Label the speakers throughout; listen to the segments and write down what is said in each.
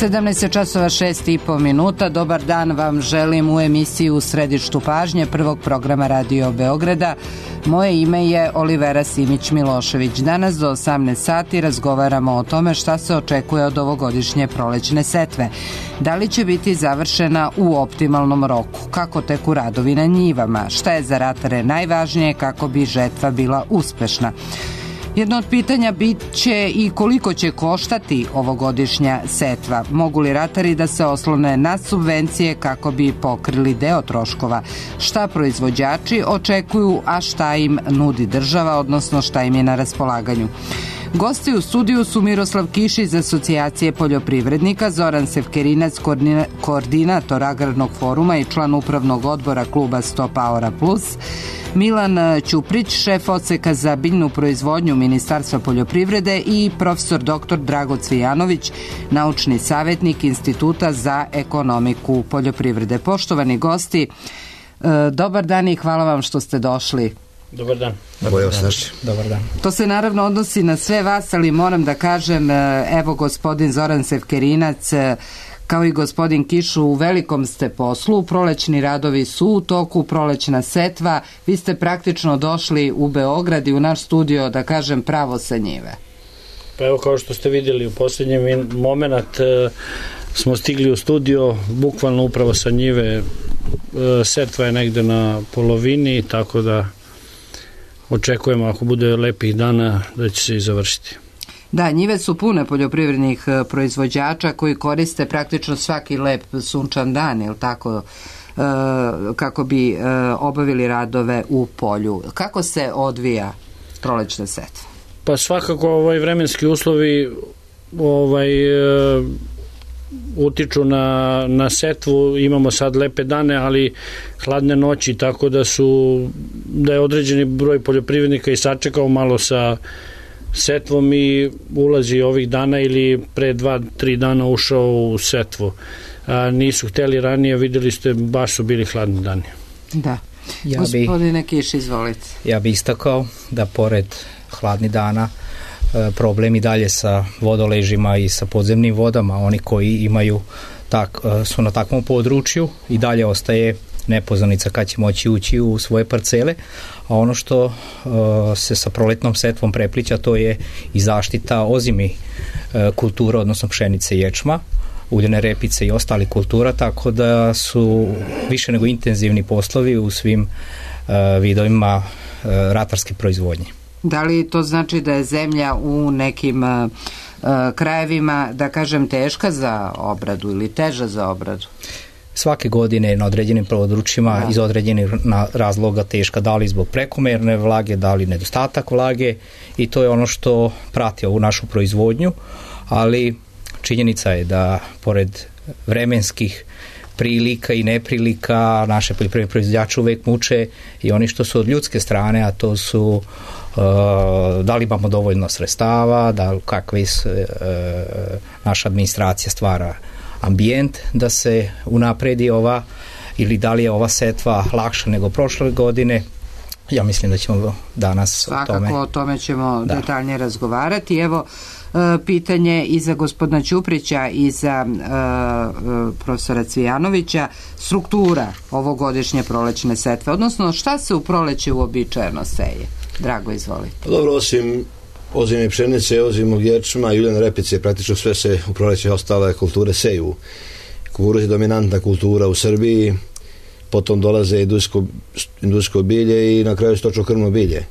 Speaker 1: 17 časova 6,5 minuta. Dobar dan vam želim u emisiji U središtu pažnje prvog programa Radio Beograda. Moje ime je Olivera Simić-Milošević. Danas do 18 sati razgovaramo o tome šta se očekuje od ovogodišnje prolećne setve. Da li će biti završena u optimalnom roku? Kako teku radovi na njivama? Šta je za ratare najvažnije kako bi žetva bila uspešna? Jedno od pitanja bit će i koliko će koštati ovogodišnja setva. Mogu li ratari da se oslone na subvencije kako bi pokrili deo troškova? Šta proizvođači očekuju, a šta im nudi država, odnosno šta im je na raspolaganju? Gosti u studiju su Miroslav Kiš iz Asocijacije poljoprivrednika, Zoran Sevkerinac, koordinator Agrarnog foruma i član upravnog odbora kluba Stop Aura Plus, Milan Ćuprić, šef odseka za biljnu proizvodnju Ministarstva poljoprivrede i profesor dr. Drago Cvijanović, naučni savjetnik Instituta za ekonomiku poljoprivrede. Poštovani gosti, dobar dan i hvala vam što ste došli.
Speaker 2: Dobar dan.
Speaker 3: Dobar dan.
Speaker 1: To se naravno odnosi na sve vas, ali moram da kažem, evo gospodin Zoran Sevkerinac, kao i gospodin Kiš, u velikom ste poslu, prolećni radovi su u toku, prolećna setva, vi ste praktično došli u Beograd i u naš studio, da kažem, pravo sa njive.
Speaker 2: Pa evo, kao što ste vidjeli, u posljednji moment smo stigli u studio, bukvalno upravo sa njive, setva je negde na polovini, tako da očekujemo, ako bude lepih dana, da će se i završiti.
Speaker 1: Da, njive su pune poljoprivrednih proizvođača koji koriste praktično svaki lep sunčan dan, ili tako, kako bi obavili radove u polju. Kako se odvija prolećna setva?
Speaker 2: Pa svakako vremenski uslovi utiču na setvu. Imamo sad lepe dane, ali hladne noći, tako da je određeni broj poljoprivrednika i sačekao malo sa setvom i ulazi ovih dana ili pre 2-3 dana ušao u setvu. Nisu hteli ranije, vidjeli ste, baš su bili hladni dani.
Speaker 1: Da. Gospodine Kiš, izvolite.
Speaker 3: Ja bih istakao da pored hladnih dana problem i dalje sa vodoležima i sa podzemnim vodama. Oni koji imaju su na takvom području i dalje ostaje nepoznanica kad će moći ući u svoje parcele, a ono što se sa proletnom setvom preplića, to je i zaštita ozimi kultura, odnosno pšenice i ječma, uljene repice i ostali kultura, tako da su više nego intenzivni poslovi u svim vidovima ratarske proizvodnje.
Speaker 1: Da li to znači da je zemlja u nekim krajevima, da kažem, teška za obradu ili teža za obradu?
Speaker 3: Svake godine na određenim područjima iz određenih razloga teška, da li zbog prekomerne vlage, da li nedostatak vlage, i to je ono što prati ovu našu proizvodnju, ali činjenica je da pored vremenskih prilika i neprilika naše poljoprivredne proizvođače uvek muče i oni što su od ljudske strane, a to su da li imamo dovoljno sredstava, kakva naša administracija stvara ambijent da se unapredi ili da li je ova setva lakša nego prošle godine. Ja mislim da ćemo danas
Speaker 1: o tome ćemo detaljnije razgovarati. Evo, pitanje i za gospodina Ćuprića i za profesora Cvijanovića, struktura ovogodišnje prolećne setve, odnosno šta se u proleće uobičajeno seje? Drago, izvolite.
Speaker 4: Dobro, osim ozime pšenice, ozimog ječma i uljene repice, praktično sve se u proleće ostale kulture seju. Kukuruz je dominantna kultura u Srbiji, potom dolaze industrijsko bilje i na kraju stočno-krmno bilje.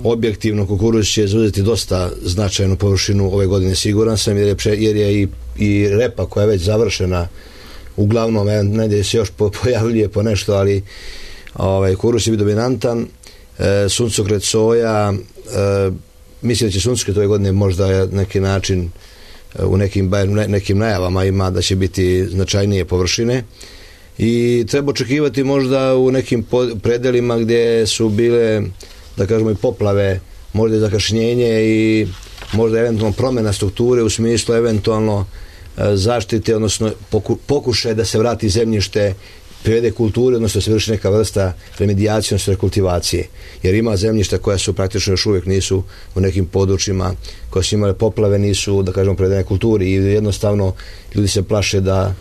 Speaker 4: Objektivno kukuruz će zauzeti dosta značajnu površinu ove godine, siguran sam, jer je i repa koja je već završena, uglavnom negdje se još pojavljuje po nešto, ali kukuruz će biti dominantan. Suncokret, soja, mislim da će suncokret ove godine možda neki način u nekim najavama ima da će biti značajnije površine i treba očekivati možda u nekim predelima gdje su bile, da kažemo, i poplave, možda i zakašnjenje i možda eventualno promjena strukture u smislu eventualno zaštite, odnosno pokušaj da se vrati zemljište privede kulturi, odnosno se vrši neka vrsta remedijacije, odnosno rekultivacije. Jer ima zemljišta koja su praktično još uvijek nisu u nekim područjima koja su imale poplave, nisu, da kažemo, privedene kulturi i jednostavno ljudi se plaše da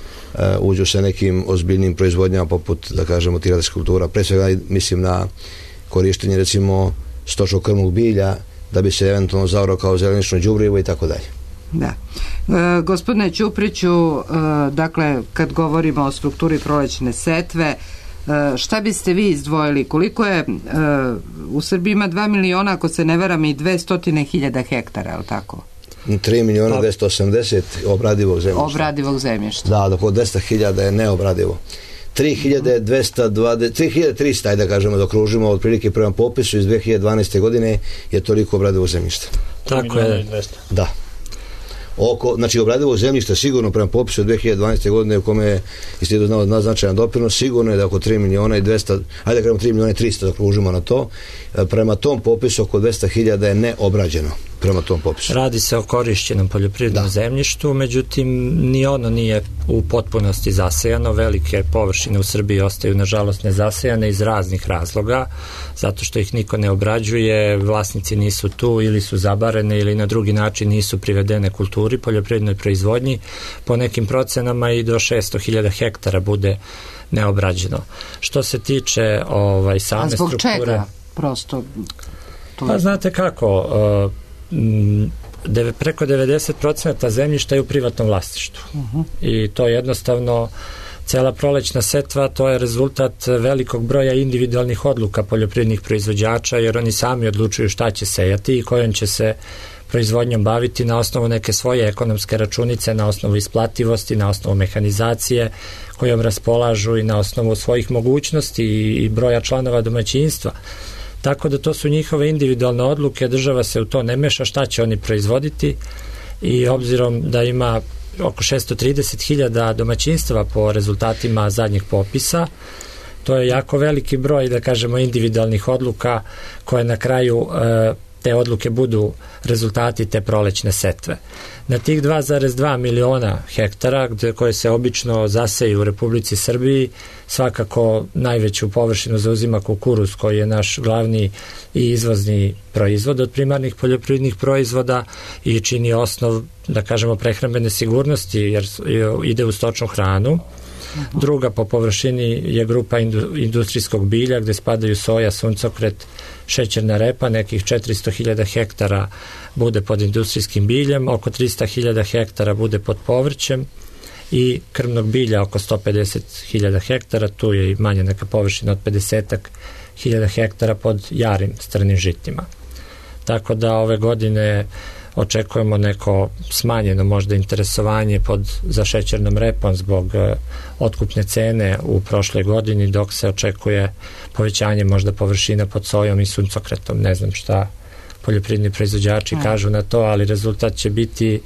Speaker 4: uđu sa nekim ozbiljnim proizvodnjama poput, da kažemo, tih kultura. Pre svega mislim na korištenje, recimo, stočnog krmnog bilja da bi se eventualno zaorao kao zelenično đubrivo i tako dalje.
Speaker 1: Da. Gospodine Ćupriću, dakle, kad govorimo o strukturi prolećne setve, šta biste vi izdvojili? Koliko je, u Srbiji ima 2 miliona, ako se ne varam, i 200.000 hektara, je li tako?
Speaker 4: 3.280.000 obradivog zemljišta.
Speaker 1: Obradivog zemljišta.
Speaker 4: Da, oko 200.000 je neobradivo. 3.300, ajde da kažemo, da okružimo otprilike prema popisu iz 2012. godine je toliko obradivog zemljišta.
Speaker 5: Tako je.
Speaker 4: Da. Znači obradivog zemljišta sigurno prema popisu od 2012. godine u kome je institut znao naznačajan doprinos, sigurno je da oko 3.200.000, ajde da kažemo 3.300.000 da okružimo na to. Prema tom popisu oko 200.000 je neobrađeno. Prema tom popisu.
Speaker 5: Radi se o korišćenom poljoprivrednom zemljištu, međutim ni ono nije u potpunosti zasejano. Velike površine u Srbiji ostaju nažalost nezasejane iz raznih razloga, zato što ih niko ne obrađuje, vlasnici nisu tu ili su zabarene ili na drugi način nisu privedene kulturi, poljoprivrednoj proizvodnji. Po nekim procenama i do 600.000 hektara bude neobrađeno. Što se tiče same strukture... A zbog čega? Prosto... Pa znate kako... preko 90% zemljišta je u privatnom vlasništvu. I to jednostavno cela prolećna setva, to je rezultat velikog broja individualnih odluka poljoprivrednih proizvođača, jer oni sami odlučuju šta će sejati i kojom će se proizvodnjom baviti na osnovu neke svoje ekonomske računice, na osnovu isplativosti, na osnovu mehanizacije kojom raspolažu i na osnovu svojih mogućnosti i broja članova domaćinstva. Tako da to su njihove individualne odluke, država se u to ne meša šta će oni proizvoditi i obzirom da ima oko 630.000 domaćinstva po rezultatima zadnjih popisa, to je jako veliki broj, da kažemo, individualnih odluka koje na kraju te odluke budu rezultati te prolećne setve. Na tih 2,2 miliona hektara koje se obično zaseju u Republici Srbiji, svakako najveću površinu zauzima kukuruz koji je naš glavni i izvozni proizvod od primarnih poljoprivrednih proizvoda i čini osnov, da kažemo, prehrambene sigurnosti jer ide u stočnu hranu. Druga po površini je grupa industrijskog bilja gde spadaju soja, suncokret, šećerna repa, nekih 400.000 hektara bude pod industrijskim biljem, oko 300.000 hektara bude pod povrćem i krmnog bilja oko 150.000 hektara, tu je i manja neka površina od 50.000 hektara pod jarim strnim žitima. Tako da ove godine očekujemo neko smanjeno možda interesovanje za šećernom repom zbog otkupne cene u prošloj godini, dok se očekuje povećanje možda površina pod sojom i suncokretom. Ne znam šta poljoprivredni proizvođači kažu na to, ali rezultat će biti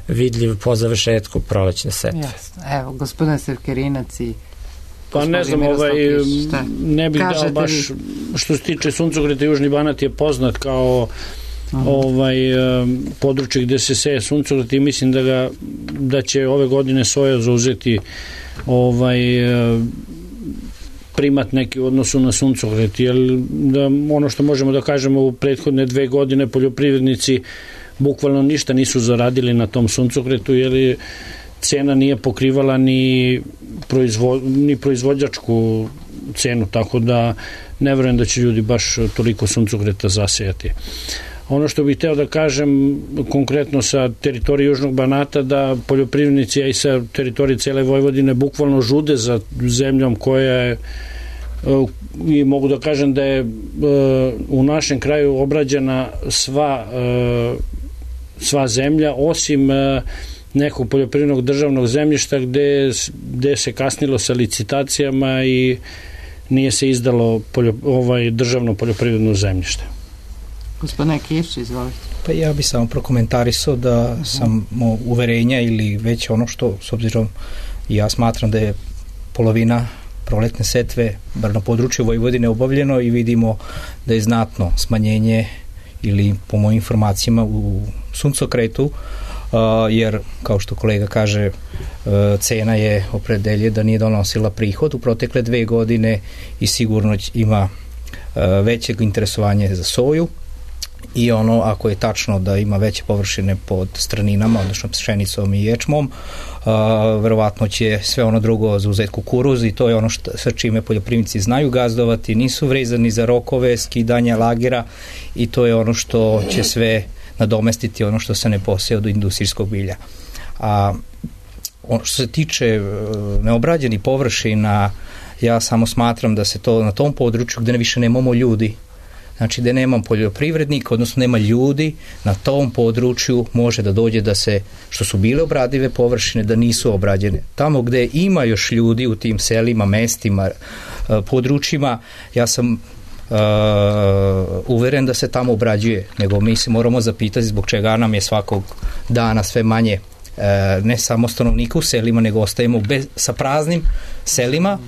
Speaker 5: vidljiv po završetku prolećne setve.
Speaker 1: Evo, gospodin Serkerinac i
Speaker 2: pa ne znam, ne bih dao baš, što se tiče suncokreta, Južni Banat je poznat kao područje gde se seje suncokret i mislim da će ove godine soja zauzeti primat neki u odnosu na suncokret, jer ono što možemo da kažemo u prethodne 2 godine poljoprivrednici bukvalno ništa nisu zaradili na tom suncokretu, jer cena nije pokrivala ni proizvođačku cenu, tako da ne verujem da će ljudi baš toliko suncokreta zasejati. Ono što bih hteo da kažem konkretno sa teritorije Južnog Banata, da poljoprivrednici, a i sa teritorije cele Vojvodine bukvalno žude za zemljom koja je, i mogu da kažem da je u našem kraju obrađena sva zemlja, osim nekog poljoprivrednog državnog zemljišta gde se kasnilo sa licitacijama i nije se izdalo državno poljoprivredno zemljište.
Speaker 1: Gospodine Kiš, izvolite.
Speaker 3: Pa ja bih samo prokomentarisao da sam uverenja ili već ono što, s obzirom, ja smatram da je polovina proletne setve, bar na području Vojvodine, obavljeno i vidimo da je znatno smanjenje ili po mojim informacijama u suncokretu, jer kao što kolega kaže, cena je opredelje da nije donosila prihod u protekle 2 godine i sigurno ima većeg interesovanja za soju. I ono, ako je tačno da ima veće površine pod straninama, odnosno pšenicom i ječmom, verovatno će sve ono drugo zauzeti kukuruz i to je ono sa čime poljoprivrednici znaju gazdovati, nisu vezani za rokove, skidanja lagera i to je ono što će sve nadomestiti ono što se ne poseje od industrijskog bilja. A ono što se tiče neobrađenih površina, ja samo smatram da se to na tom području gde više nemamo ljudi, znači da nemam poljoprivrednika, odnosno nema ljudi, na tom području može da dođe da se, što su bile obradive površine, da nisu obrađene. Tamo gde ima još ljudi u tim selima, mestima, područjima, ja sam uveren da se tamo obrađuje, nego mi se moramo zapitati zbog čega nam je svakog dana sve manje ne samo stanovnika u selima, nego ostajemo sa praznim selima,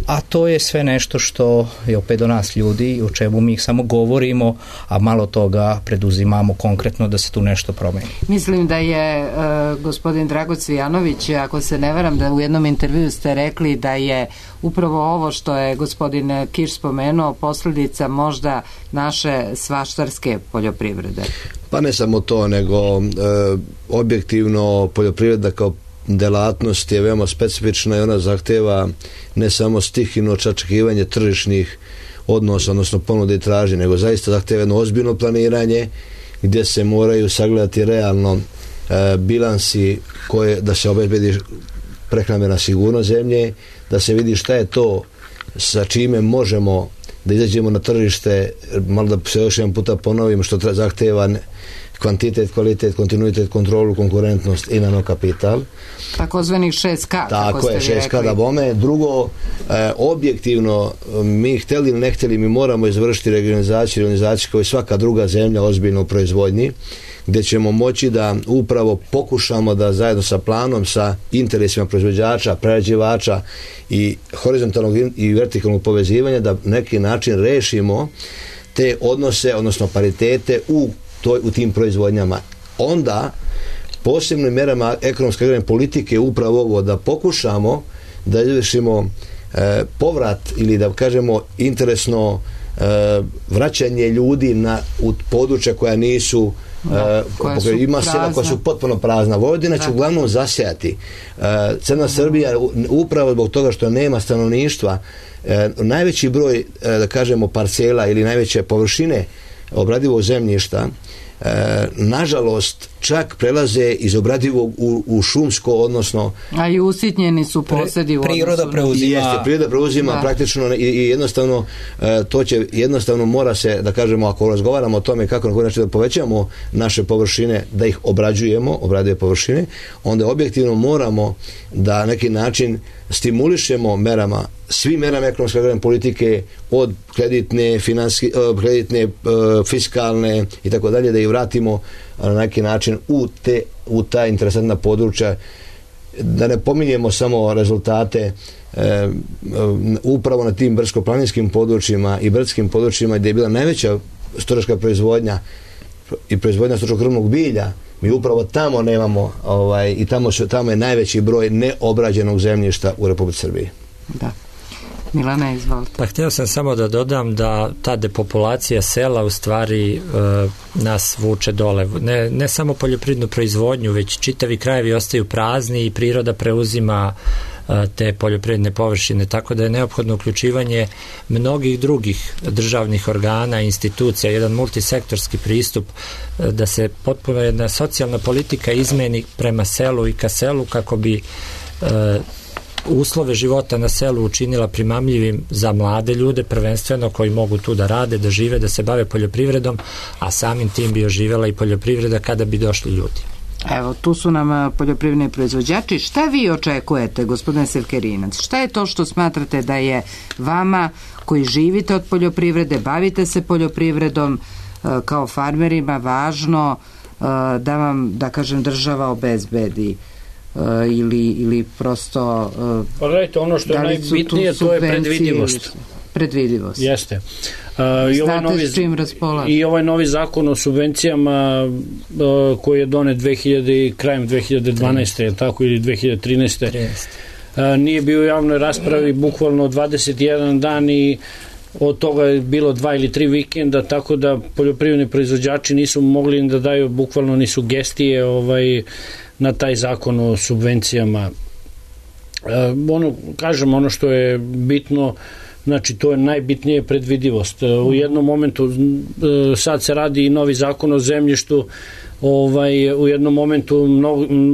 Speaker 3: a to je sve nešto što je opet do nas ljudi, o čemu mi samo govorimo, a malo toga preduzimamo konkretno da se tu nešto promeni.
Speaker 1: Mislim da je gospodin Drago Cvijanović, ako se ne varam, da u jednom intervju ste rekli da je upravo ovo što je gospodin Kiš spomenuo posljedica možda naše svaštarske poljoprivrede.
Speaker 4: Pa ne samo to, nego objektivno poljoprivreda kao delatnost je veoma specifična i ona zahteva ne samo stihivno očekivanje tržišnih odnosa, odnosno ponude i tražnje, nego zaista zahteva jedno ozbiljno planiranje gdje se moraju sagledati realno bilansi koje da se obezbedi prehrambena sigurnost zemlje, da se vidi šta je to sa čime možemo da izađemo na tržište, malo da se još jedan puta ponovim, što zahteva kvantitet, kvalitet, kontinuitet, kontrolu, konkurentnost i nanokapital.
Speaker 1: Takozvanih 6K.
Speaker 4: Tako je, 6K da bome. Drugo, objektivno, mi hteli ili ne hteli, mi moramo izvršiti regionalizaciju kao i svaka druga zemlja ozbiljno u proizvodnji, gdje ćemo moći da upravo pokušamo da zajedno sa planom, sa interesima proizvođača, prerađivača i horizontalnog i vertikalnog povezivanja da neki način rešimo te odnose, odnosno paritete u tim proizvodnjama. Onda posebnim merama ekonomske agrarne politike upravo ovo da pokušamo da izvršimo povrat ili da kažemo interesno vraćanje ljudi u područja koja nisu ima sela koja su potpuno prazna. Vojvodina će uglavnom zasijati. Crna Srbija upravo zbog toga što nema stanovništva, najveći broj da kažemo parcela ili najveće površine obradivog zemljišta nažalost čak prelaze iz obradivog u šumsko, odnosno
Speaker 1: a i usitnjeni su posedi
Speaker 3: priroda
Speaker 4: preuzima praktično i jednostavno to će jednostavno mora se da kažemo ako razgovaramo o tome kako na koji način da povećamo naše površine, da ih obrađujemo, obradive površine, onda objektivno moramo da neki način stimulišemo merama, svim merama ekonomske agrarne politike od kreditne, fiskalne i tako dalje, da ih vratimo na neki način u ta interesantna područja, da ne pominjemo samo rezultate upravo na tim brdsko-planinskim područjima i brdskim područjima gdje je bila najveća stočarska proizvodnja i proizvodnja stočnog krvnog bilja. Mi upravo tamo nemamo i tamo je najveći broj neobrađenog zemljišta u Republici Srbiji.
Speaker 1: Da. Milana, izvolite.
Speaker 5: Pa htio sam samo da dodam da ta depopulacija sela u stvari nas vuče dole. Ne samo poljoprivrednu proizvodnju, već čitavi krajevi ostaju prazni i priroda preuzima te poljoprivredne površine, tako da je neophodno uključivanje mnogih drugih državnih organa, institucija, jedan multisektorski pristup, da se potpuno jedna socijalna politika izmeni prema selu i ka selu kako bi uslove života na selu učinila primamljivim za mlade ljude, prvenstveno koji mogu tu da rade, da žive, da se bave poljoprivredom, a samim tim bi oživela i poljoprivreda kada bi došli ljudi.
Speaker 1: Evo, tu su nam poljoprivredni proizvođači. Šta vi očekujete, gospodine Sevkerinac? Šta je to što smatrate da je vama, koji živite od poljoprivrede, bavite se poljoprivredom, kao farmerima, važno da vam, da kažem, država obezbedi? Ili prosto
Speaker 2: pa gledajte, ono što je najbitnije to je predvidivost.
Speaker 1: predvidivost.
Speaker 2: Jeste.
Speaker 1: Znate s čim raspolažete.
Speaker 2: I ovaj novi zakon o subvencijama koji je donet krajem 2012. tako ili 2013. Nije bio u javnoj raspravi bukvalno 21 dan i od toga je bilo 2 ili 3 vikenda, tako da poljoprivredni proizvođači nisu mogli da daju bukvalno ni sugestije na taj zakon o subvencijama. Ono što je bitno, znači to je najbitnije predvidivost. U jednom momentu, sad se radi i novi zakon o zemljištu, u jednom momentu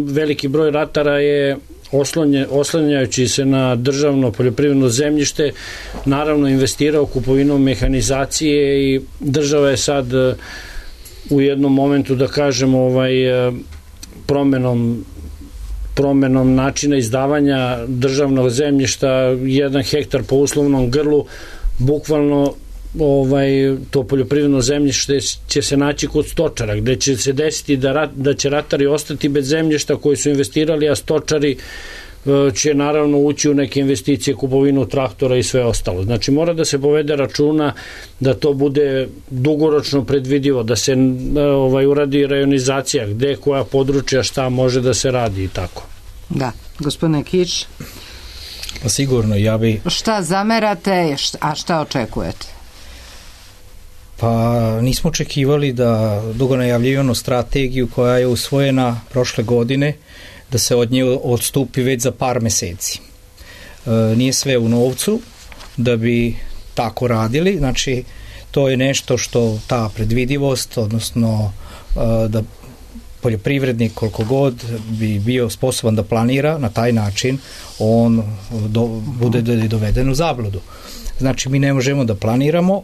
Speaker 2: veliki broj ratara je oslanjajući se na državno poljoprivredno zemljište, naravno investirao kupovinom mehanizacije i država je sad u jednom momentu, da kažem, promenom načina izdavanja državnog zemljišta, 1 hektar po uslovnom grlu, bukvalno to poljoprivredno zemljište će se naći kod stočara, gde će se desiti da će ratari ostati bez zemljišta koji su investirali, a stočari će naravno ući u neke investicije, kupovinu traktora i sve ostalo. Znači mora da se povede računa da to bude dugoročno predvidivo, da se uradi rajonizacija, gde koja područja šta može da se radi i tako.
Speaker 1: Da, gospodine Kič.
Speaker 3: Pa sigurno, ja bi...
Speaker 1: Šta zamerate, a šta očekujete?
Speaker 3: Pa nismo očekivali da dugo najavljivanu strategiju koja je usvojena prošle godine, da se od nje odstupi već za par meseci. Nije sve u novcu da bi tako radili, znači to je nešto što ta predvidivost, odnosno da poljoprivrednik koliko god bi bio sposoban da planira na taj način, on bude doveden u zabludu. Znači mi ne možemo da planiramo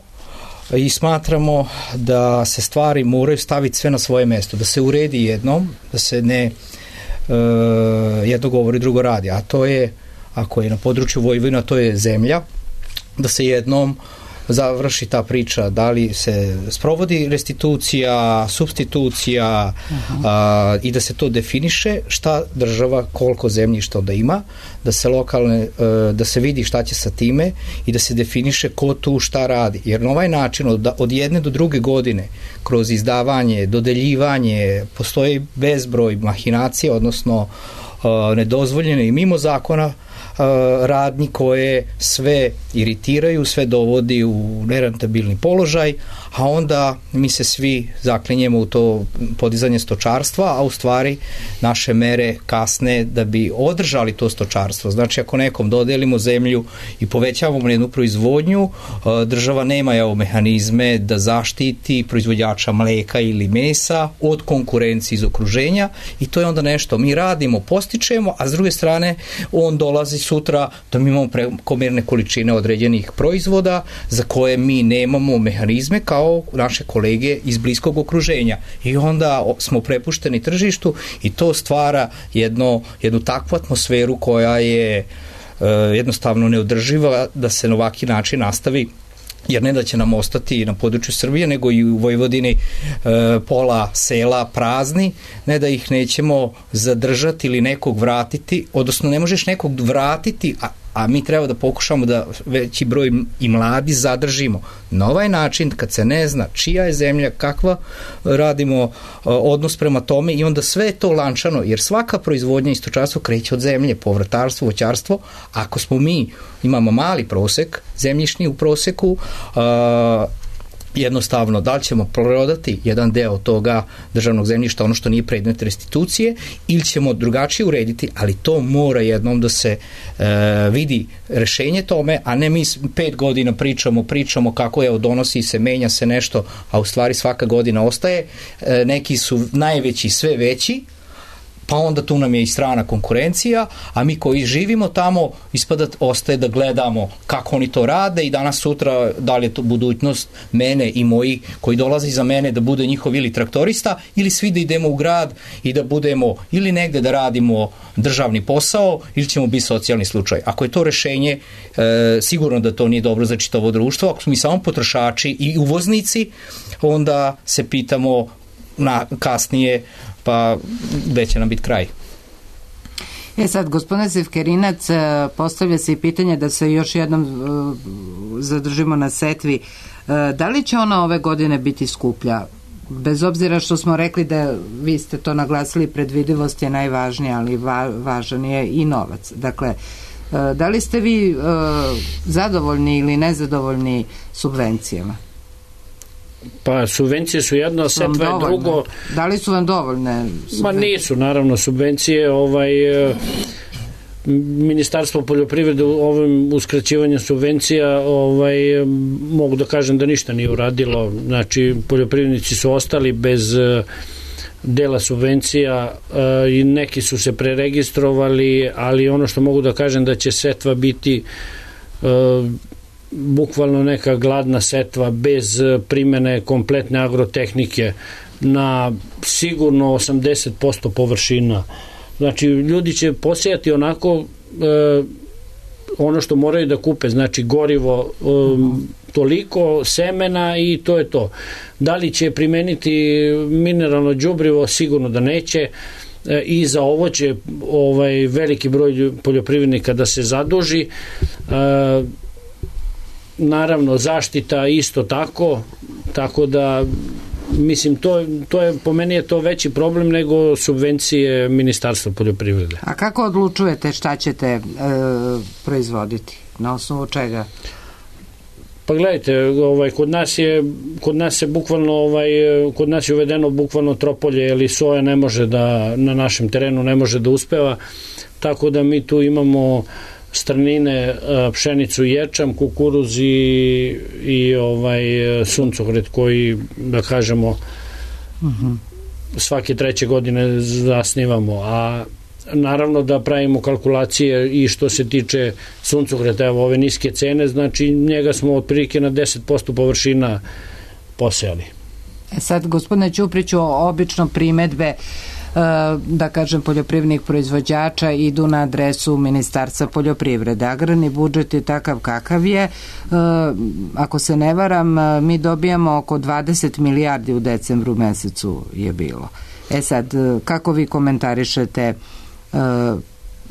Speaker 3: i smatramo da se stvari moraju staviti sve na svoje mesto, da se uredi jednom, da se ne jedno govori, drugo radi, a to je, ako je na području Vojvodine, to je zemlja, da se jednom završi ta priča, da li se sprovodi restitucija, supstitucija i da se to definiše šta država, koliko zemljišta da ima, da se vidi šta će sa time i da se definiše ko tu šta radi. Jer na ovaj način od jedne do druge godine kroz izdavanje, dodeljivanje postoji bezbroj mahinacija, odnosno nedozvoljene i mimo zakona radnji koje sve iritiraju, sve dovodi u nerentabilni položaj, a onda mi se svi zaklinjemo u to podizanje stočarstva, a u stvari naše mere kasne da bi održali to stočarstvo. Znači ako nekom dodelimo zemlju i povećavamo jednu proizvodnju, država nema mehanizme da zaštiti proizvođača mleka ili mesa od konkurencije iz okruženja i to je onda nešto mi radimo, postičemo, a s druge strane on dolazi sutra da mi imamo prekomerne količine određenih proizvoda za koje mi nemamo mehanizme kao naše kolege iz bliskog okruženja i onda smo prepušteni tržištu i to stvara jednu takvu atmosferu koja je jednostavno neodrživa da se na ovaki način nastavi, jer ne da će nam ostati na području Srbije, nego i u Vojvodini pola sela prazni, ne da ih nećemo zadržati ili nekog vratiti, odnosno ne možeš nekog vratiti, a mi treba da pokušamo da veći broj i mladi zadržimo. Na ovaj način, kad se ne zna čija je zemlja, kakva radimo odnos prema tome i onda sve je to lančano, jer svaka proizvodnja i stočarstvo kreće od zemlje, povrtarstvo, voćarstvo. Ako smo imamo mali prosek, zemljišni u proseku, jednostavno, da li ćemo prodati jedan deo toga državnog zemljišta, ono što nije predmet restitucije, ili ćemo drugačije urediti, ali to mora jednom da se vidi rešenje tome, a ne mi 5 godina pričamo kako donosi se, menja se nešto, a u stvari svaka godina ostaje. Neki su najveći, sve veći, pa onda tu nam je i strana konkurencija, a mi koji živimo tamo ostaje da gledamo kako oni to rade i danas sutra da li je to budućnost mene i moji koji dolaze iza mene da bude njihov ili traktorista ili svi da idemo u grad i da budemo ili negde da radimo državni posao ili ćemo biti socijalni slučaj. Ako je to rešenje, sigurno da to nije dobro za čitavo društvo. Ako smo mi samo potrošači i uvoznici, onda se pitamo kasnije pa gde će nam biti kraj.
Speaker 1: Sad, gospodine Sefkerinac, postavlja se i pitanje da se još jednom zadržimo na setvi. Da li će ona ove godine biti skuplja? Bez obzira što smo rekli da, vi ste to naglasili, predvidivost je najvažnija, ali važan je i novac. Dakle, da li ste vi zadovoljni ili nezadovoljni subvencijama?
Speaker 2: Pa subvencije su jedno, setva je drugo.
Speaker 1: Da li su vam dovoljne subvencije?
Speaker 2: Ma nisu, naravno, subvencije, Ministarstvo poljoprivrede u ovim uskraćivanjem subvencija mogu da kažem da ništa nije uradilo. Znači, poljoprivrednici su ostali bez dela subvencija i neki su se preregistrovali, ali ono što mogu da kažem da će setva biti bukvalno neka gladna setva bez primene kompletne agrotehnike na sigurno 80% površina. Znači, ljudi će posejati onako ono što moraju da kupe, znači gorivo, toliko semena i to je to. Da li će primeniti mineralno đubrivo? Sigurno da neće. I za ovo će veliki broj poljoprivrednika da se zaduži. Naravno, zaštita isto tako da mislim, to je, po meni je to veći problem nego subvencije Ministarstva poljoprivrede.
Speaker 1: A kako odlučujete šta ćete proizvoditi? Na osnovu čega?
Speaker 2: Pa gledajte, kod nas je bukvalno kod nas je uvedeno bukvalno tropolje, ili soja ne može da, na našem terenu ne može da uspeva, tako da mi tu imamo strnine, pšenicu, ječam, kukuruz i suncokret koji, da kažemo, svake 3. godine zasnivamo, a naravno da pravimo kalkulacije i što se tiče suncokreta, evo ove niske cene, znači njega smo otprilike na 10% površina posejali.
Speaker 1: Sad, gospodine Ćupriću, obično primedbe da kažem poljoprivrednih proizvođača idu na adresu Ministarstva poljoprivrede. Agrarni budžet je takav kakav je. Ako se ne varam, mi dobijamo oko 20 milijardi u decembru mesecu je bilo. Sad, kako vi komentarišete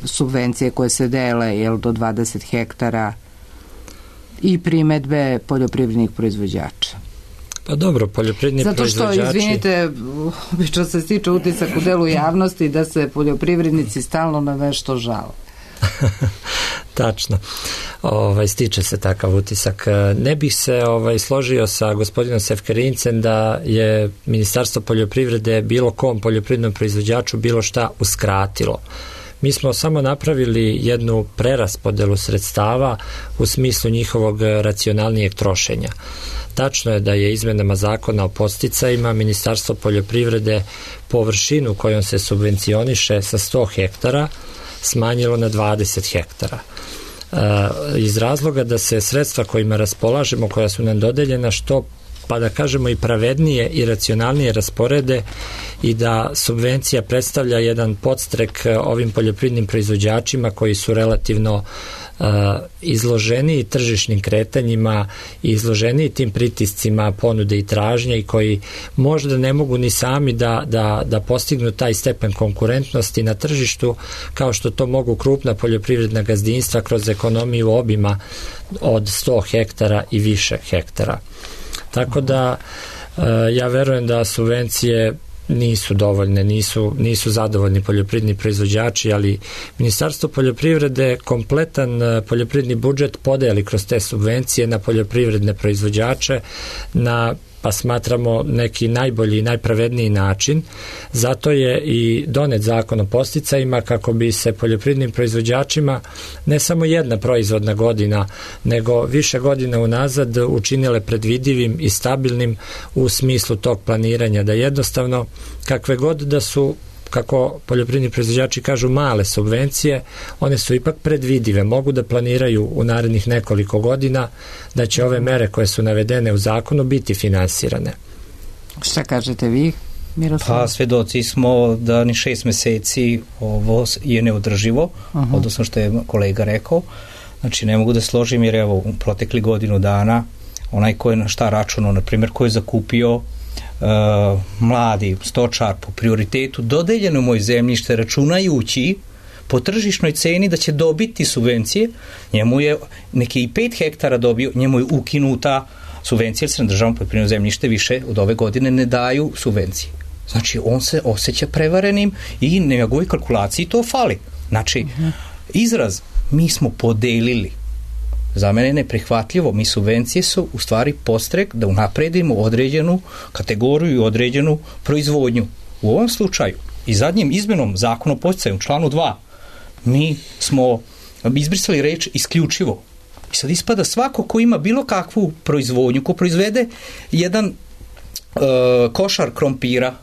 Speaker 1: subvencije koje se dele do 20 hektara i primedbe poljoprivrednih proizvođača?
Speaker 5: Pa dobro, poljoprivredni proizvođači...
Speaker 1: Zato što, izvinite, obično se stiče utisak u delu javnosti da se poljoprivrednici stalno na nešto žale.
Speaker 5: Tačno. Stiče se takav utisak. Ne bih se složio sa gospodinom Sefkerincem da je Ministarstvo poljoprivrede bilo kom poljoprivrednom proizvođaču bilo šta uskratilo. Mi smo samo napravili jednu preraspodelu sredstava u smislu njihovog racionalnijeg trošenja. Tačno je da je izmenama zakona o podsticajima Ministarstvo poljoprivrede površinu kojom se subvencioniše sa 100 hektara smanjilo na 20 hektara. Iz razloga da se sredstva kojima raspolažemo, koja su nam dodeljena, što pa da kažemo i pravednije i racionalnije rasporede i da subvencija predstavlja jedan podstrek ovim poljoprivrednim proizvođačima koji su relativno izloženi tržišnim kretanjima i izloženi tim pritiscima ponude i tražnje i koji možda ne mogu ni sami da postignu taj stepen konkurentnosti na tržištu kao što to mogu krupna poljoprivredna gazdinstva kroz ekonomiju obima od 100 hektara i više hektara. Tako da ja verujem da subvencije nisu dovoljne, nisu zadovoljni poljoprivredni proizvođači, ali Ministarstvo poljoprivrede kompletan poljoprivredni budžet podeli kroz te subvencije na poljoprivredne proizvođače na, pa smatramo, neki najbolji i najpravedniji način. Zato je i donet zakon o podsticajima kako bi se poljoprivrednim proizvođačima ne samo jedna proizvodna godina, nego više godina unazad učinile predvidivim i stabilnim u smislu tog planiranja, da jednostavno kakve god da su, kako poljoprivredni proizvođači kažu, male subvencije, one su ipak predvidive, mogu da planiraju u narednih nekoliko godina da će ove mere koje su navedene u zakonu biti finansirane.
Speaker 1: Šta kažete vi, Miroslav?
Speaker 3: Pa svedoci smo da ni 6 meseci ovo je neodrživo, odnosno što je kolega rekao. Znači ne mogu da složim jer evo u protekli godinu dana onaj ko je na šta računao, na primjer ko je zakupio mladi stočar po prioritetu dodeljeno moje zemljište računajući po tržišnoj ceni da će dobiti subvencije, njemu je neki i 5 hektara dobio, njemu je ukinuta subvencija, jer se na državnom poljoprivrednom zemljište više od ove godine ne daju subvencije. Znači, on se osjeća prevarenim i na njegovoj kalkulaciji to fali. Znači, izraz mi smo podelili, za mene je neprihvatljivo. Mi subvencije su u stvari podstrek da unapredimo određenu kategoriju i određenu proizvodnju. U ovom slučaju i zadnjim izmenom zakona o podsticaju u članu 2 mi smo izbrisali reč isključivo. I sad ispada svako ko ima bilo kakvu proizvodnju, ko proizvede jedan košar krompira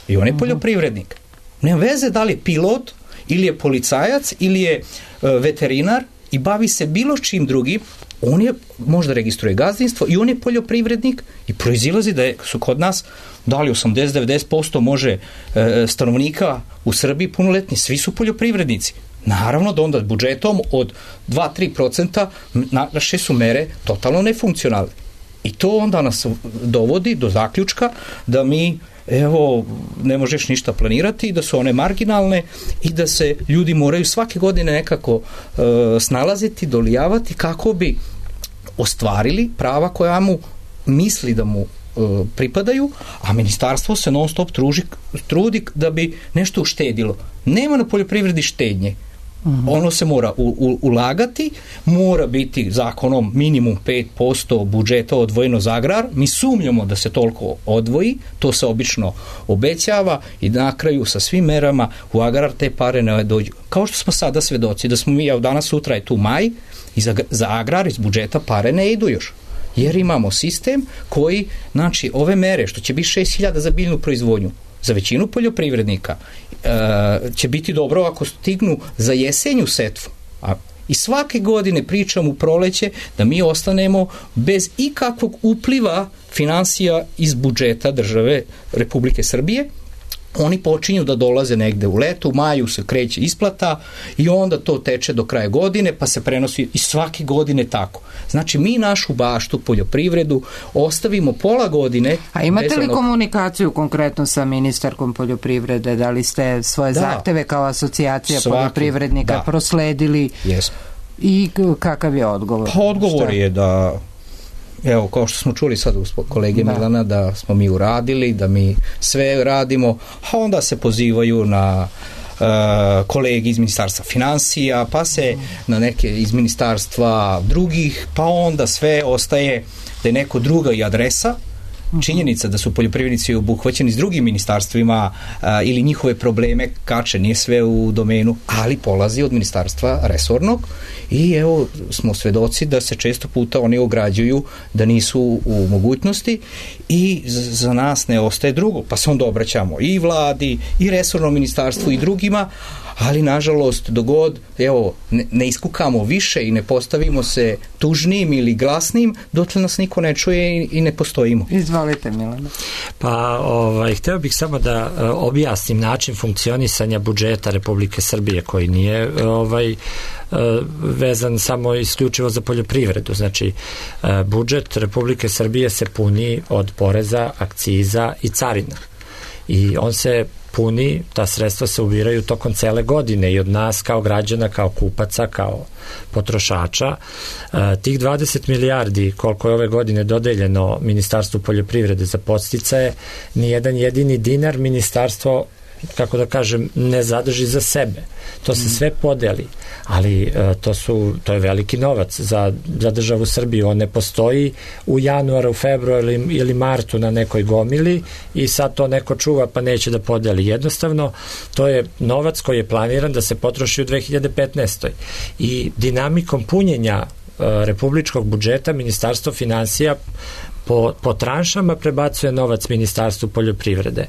Speaker 3: i on je poljoprivrednik. Nema veze da li je pilot ili je policajac ili je veterinar i bavi se bilo čim drugim, on je, možda registruje gazdinstvo i on je poljoprivrednik i proizilazi da su kod nas da li 80-90% može stanovnika u Srbiji punoletni, svi su poljoprivrednici. Naravno da onda budžetom od 2-3% naše su mere totalno nefunkcionalne. I to onda nas dovodi do zaključka da mi ne možeš ništa planirati i da su one marginalne i da se ljudi moraju svake godine nekako snalaziti, dolijavati kako bi ostvarili prava koja mu misli da mu pripadaju, a ministarstvo se non stop trudi da bi nešto uštedilo. Nema na poljoprivredi štednje. Ono se mora ulagati, mora biti zakonom minimum 5% budžeta odvojeno za agrar. Mi sumnjamo da se toliko odvoji, to se obično obećava i na kraju sa svim merama u agrar te pare ne dođu. Kao što smo sada svedoci da smo mi, danas sutra je tu maj i za agrar iz budžeta pare ne idu još. Jer imamo sistem koji, znači ove mere što će biti 6.000 za biljnu proizvodnju, za većinu poljoprivrednika će biti dobro ako stignu za jesenju setvu. I svake godine pričam u proleće da mi ostanemo bez ikakvog upliva finansija iz budžeta države Republike Srbije. Oni počinju da dolaze negde u letu, u maju se kreće isplata i onda to teče do kraja godine pa se prenosi i svake godine tako. Znači mi našu baštu, poljoprivredu ostavimo pola godine.
Speaker 1: A imate li komunikaciju konkretno sa ministarkom poljoprivrede? Da li ste svoje zahteve kao asocijacija poljoprivrednika prosledili?
Speaker 3: Jesmo.
Speaker 1: I kakav je odgovor?
Speaker 3: Pa odgovor je da kao što smo čuli sad od kolege Milana, da smo mi uradili, da mi sve radimo, a onda se pozivaju na kolegi iz ministarstva finansija, pa se na neke iz ministarstva drugih, pa onda sve ostaje da je neko druga i adresa. Činjenica da su poljoprivrednici obuhvaćeni s drugim ministarstvima ili njihove probleme kače, nije sve u domenu, ali polazi od ministarstva resornog i smo svedoci da se često puta oni ograđuju da nisu u mogućnosti i za nas ne ostaje drugo, pa se onda obraćamo i vladi i resornom ministarstvu i drugima, ali nažalost dogod ne iskukamo više i ne postavimo se tužnim ili glasnim, dotle nas niko ne čuje i ne postojimo.
Speaker 1: Izvolite, Milana.
Speaker 5: Pa hteo bih samo da objasnim način funkcionisanja budžeta Republike Srbije koji nije vezan samo isključivo za poljoprivredu. Znači, budžet Republike Srbije se puni od poreza, akciza i carina. I on se puni, ta sredstva se ubiraju tokom cele godine i od nas kao građana, kao kupaca, kao potrošača. Tih 20 milijardi koliko je ove godine dodeljeno Ministarstvu poljoprivrede za podsticaje, nijedan jedini dinar ministarstvo, kako da kažem, ne zadrži za sebe. To se sve podeli, ali to je veliki novac za državu Srbiju. On ne postoji u januaru, februaru ili martu na nekoj gomili i sad to neko čuva pa neće da podeli. Jednostavno, to je novac koji je planiran da se potroši u 2015. I dinamikom punjenja republičkog budžeta Ministarstvo finansija po tranšama prebacuje novac Ministarstvu poljoprivrede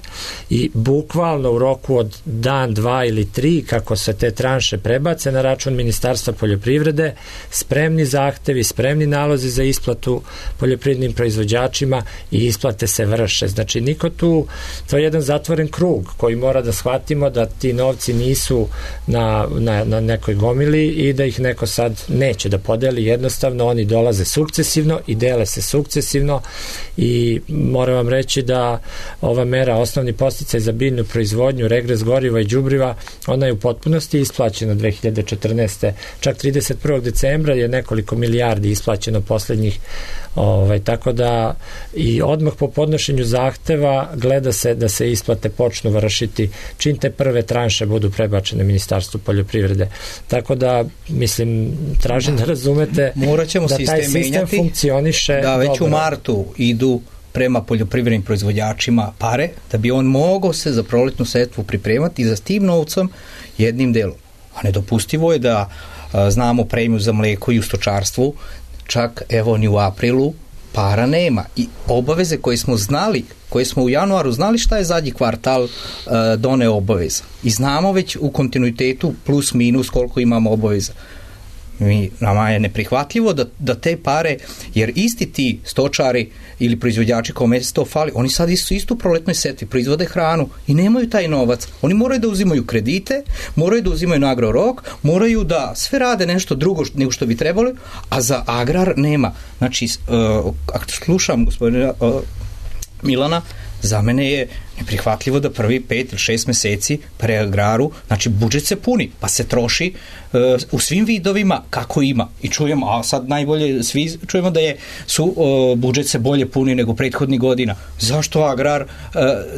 Speaker 5: i bukvalno u roku od dan, 2 ili 3 kako se te tranše prebace na račun Ministarstva poljoprivrede, spremni zahtevi, spremni nalozi za isplatu poljoprivrednim proizvođačima i isplate se vrše. Znači niko tu, to je jedan zatvoren krug koji mora da shvatimo da ti novci nisu na nekoj gomili i da ih neko sad neće da podeli, jednostavno oni dolaze sukcesivno i dele se sukcesivno i moram vam reći da ova mera osnovni podsticaj za biljnu proizvodnju, regres goriva i đubriva, ona je u potpunosti isplaćena 2014. Čak 31. decembra je nekoliko milijardi isplaćeno poslednjih, tako da i odmah po podnošenju zahteva gleda se da se isplate počnu vršiti čim te prve tranše budu prebačene Ministarstvu poljoprivrede. Tako da, mislim, tražim da razumete da taj sistem funkcioniše
Speaker 3: da već
Speaker 5: dobro.
Speaker 3: U martu idu prema poljoprivrednim proizvođačima pare, da bi on mogao se za proletnu setvu pripremati za s tim novcom jednim delom. A nedopustivo je da znamo premiju za mleko i u stočarstvu, čak evo ni u aprilu para nema i obaveze koje smo znali, koje smo u januaru znali šta je zadnji kvartal doneo obaveza i znamo već u kontinuitetu plus minus koliko imamo obaveza. Nama je neprihvatljivo da te pare, jer isti ti stočari ili proizvođači kome se to fali, oni sad su isto u proletnoj setvi, proizvode hranu i nemaju taj novac. Oni moraju da uzimaju kredite, moraju da uzimaju na agrorok, moraju da sve rade nešto drugo nego što bi trebali, a za agrar nema. Znači, ako slušam gospodina Milana, za mene je neprihvatljivo da prvi 5 ili 6 meseci pre agraru, znači budžet se puni, pa se troši u svim vidovima kako ima. I čujemo, a sad najbolje svi čujemo da su budžet se bolje puni nego prethodnih godina. Zašto agrar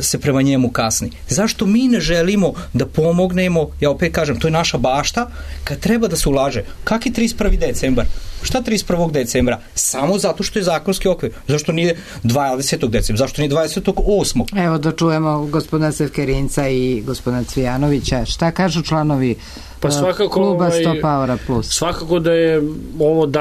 Speaker 3: se prema njemu kasni? Zašto mi ne želimo da pomognemo, ja opet kažem, to je naša bašta, kad treba da se ulaže. Kak je 31. decembar? Šta 31. decembra? Samo zato što je zakonski okvir. Zašto nije 20. decembra? Zašto nije 28.
Speaker 1: Evo da čujemo gospodina Sevkerinca i gospodina Cvijanovića. Šta kažu članovi kluba Stop Power Plus?
Speaker 2: Svakako da je ovo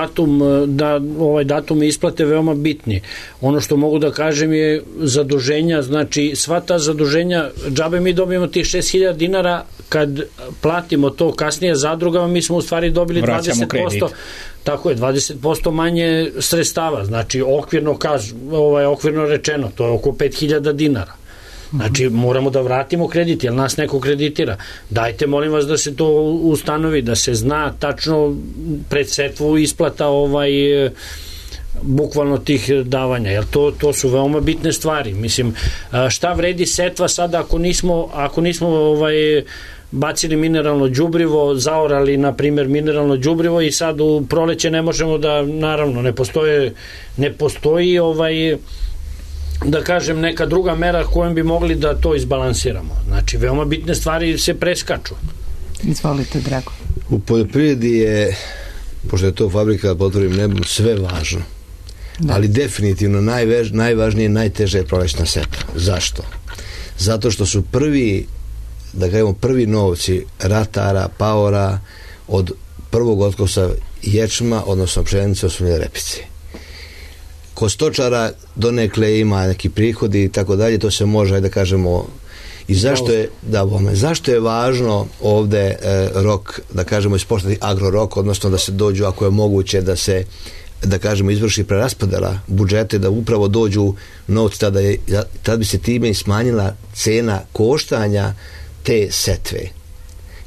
Speaker 2: ovaj datum isplate veoma bitni. Ono što mogu da kažem je zaduženja, znači sva ta zaduženja, džabe mi dobijemo tih 6.000 dinara, kad platimo to kasnije zadrugama, mi smo u stvari dobili 20%. Tako je, 20% manje sredstava, znači okvirno rečeno, to je oko 5.000 dinara. Znači, moramo da vratimo kredit, jer nas neko kreditira. Dajte, molim vas, da se to ustanovi, da se zna tačno pred setvu isplata bukvalno tih davanja, jer to su veoma bitne stvari. Mislim, šta vredi setva sada ako nismo bacili mineralno đubrivo, zaorali, na primjer, mineralno đubrivo i sad u proleće ne možemo da, naravno, ne postoji da kažem neka druga mera kojom bi mogli da to izbalansiramo. Znači, veoma bitne stvari se preskaču.
Speaker 1: Izvolite, Drago.
Speaker 4: U poljoprivredi je, pošto je to fabrika pod otvorenim nebom, sve važno. Da. Ali definitivno najvažnije, najteže je prolećna setva. Zašto? Zato što su prvi novci ratara, paora od prvog otkosa ječma, odnosno pšenice, osnovne repice. Kod stočara donekle ima neki prihodi i tako dalje, to se može, da kažemo, i zašto je važno ovde rok, da kažemo, ispoštati agrorok, odnosno da se dođu, ako je moguće, da se, da kažemo, izvrši preraspodela budžete, da upravo dođu novci, tada bi se time i smanjila cena koštanja te setve.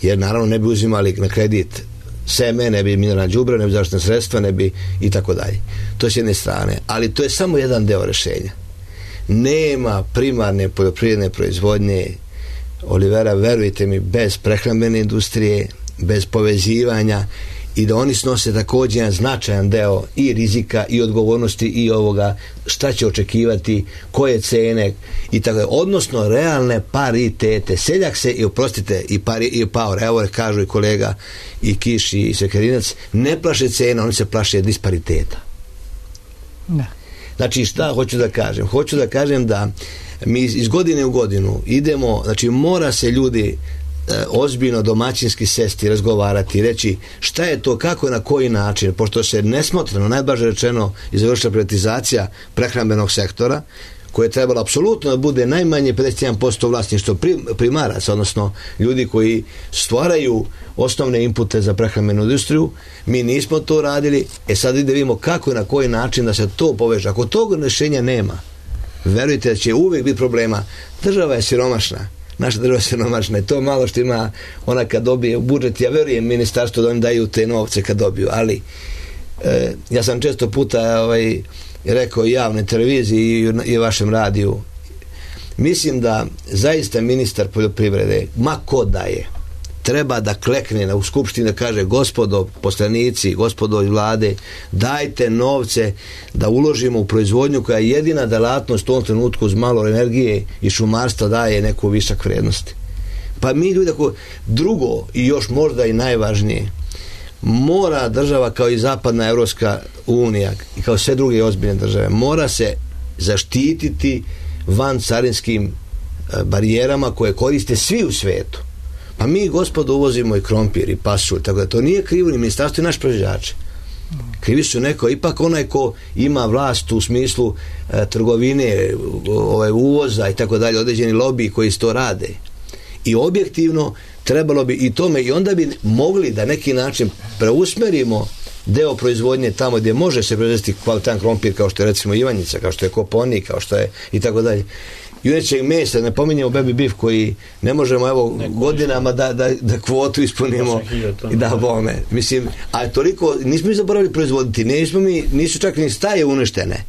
Speaker 4: Jer naravno ne bi uzimali na kredit seme, ne bi mineralna đubriva, ne bi zaštitna sredstva, ne bi i tako dalje. To je s jedne strane. Ali to je samo jedan deo rešenja. Nema primarne poljoprivredne proizvodnje, Olivera, verujte mi, bez prehrambene industrije, bez povezivanja, i da oni snose također jedan značajan deo i rizika i odgovornosti i ovoga šta će očekivati, koje cene i tako, odnosno realne paritete. Seljak se, i oprostite, i Paor, evo kažu i kolega i Kiš i Sekerinac, ne plaše cena, oni se plaše dispariteta. Da. Znači, šta hoću da kažem? Hoću da kažem da mi iz godine u godinu idemo, znači mora se ljudi ozbiljno domaćinski sesti, razgovarati, reći šta je to, kako, na koji način, pošto se nesmotreno, najblaže rečeno, izvršila privatizacija prehrambenog sektora, koje je trebalo apsolutno da bude najmanje 51% vlasništvo primaraca, odnosno ljudi koji stvaraju osnovne inpute za prehrambenu industriju. Mi nismo to radili, sad da vidimo kako i na koji način da se to poveže. Ako tog rešenja nema, verujte da će uvijek biti problema. Država je siromašna. Naša država je siromašna i to malo što ima ona kad dobije budžet. Ja verujem ministarstvo da oni daju te novce kad dobiju, ali ja sam često puta rekao i javnoj televiziji i vašem radiju. Mislim da zaista ministar poljoprivrede, ma ko da je, treba da klekne u skupštini da kaže: gospodo poslanici, gospodo iz vlade, dajte novce da uložimo u proizvodnju koja je jedina delatnost u ovom trenutku uz malo energije i šumarstva daje neku višak vrednosti. Pa mi ljudi, drugo i još možda i najvažnije, mora država kao i zapadna Evropska unija i kao sve druge ozbiljne države, mora se zaštititi van carinskim barijerama koje koriste svi u svetu. Pa mi, gospodo, uvozimo i krompir i pasulj, tako da to nije krivo ni ministarstvo i naš proizvođači. Krivi su neko, ipak onaj ko ima vlast u smislu trgovine, uvoza i tako dalje, određeni lobiji koji to rade. I objektivno trebalo bi i tome, i onda bi mogli da neki način preusmerimo deo proizvodnje tamo gdje može se proizvesti kvalitetan krompir, kao što je recimo Ivanjica, kao što je Koponik, kao što je i tako dalje. Junećeg mesa, ne pominjemo baby beef koji ne možemo godinama da kvotu ispunimo i da bome. Mislim, a toliko, nismo mi zaboravili proizvoditi, nisu čak ni staje uništene.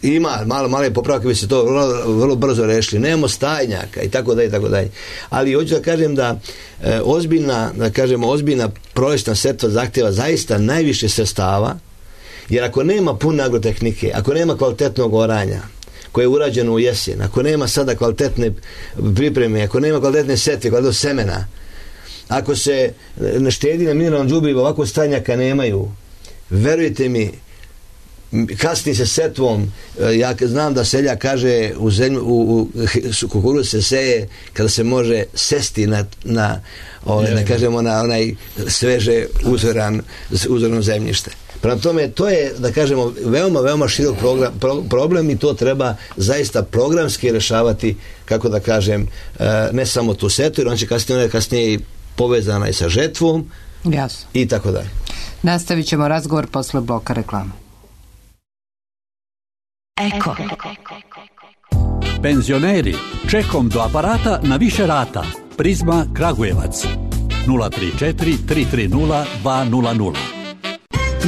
Speaker 4: Ima malo popravka, bi se to vrlo brzo rešili. Nemamo stajnjaka i tako dalje, i tako dalje. Ali hoću da kažem da ozbiljna prolećna setva zahtjeva zaista najviše sredstava, jer ako nema pune agrotehnike, ako nema kvalitetnog oranja koje je urađeno u jesen, ako nema sada kvalitetne pripreme, ako nema kvalitetne setve, kvalitetnog semena, ako se ne štedi na mineralnom đubrivu, ovako stajnjaka nemaju, verujte mi, kasni se setvom. Ja znam da seljak kaže u kukuruz se seje kada se može sesti na onaj sveže uzorano zemljište. Prema tome, to je, da kažemo, veoma širok problem i to treba zaista programski rešavati, kako da kažem, ne samo tu setvu, jer on će kasnije i povezana i sa žetvom.
Speaker 1: Jasno.
Speaker 4: I tako dalje.
Speaker 1: Nastavit ćemo razgovor posle bloka reklama.
Speaker 6: Eko. Penzioneri, čekom do aparata na više rata. Prizma Kragujevac 034 330 200.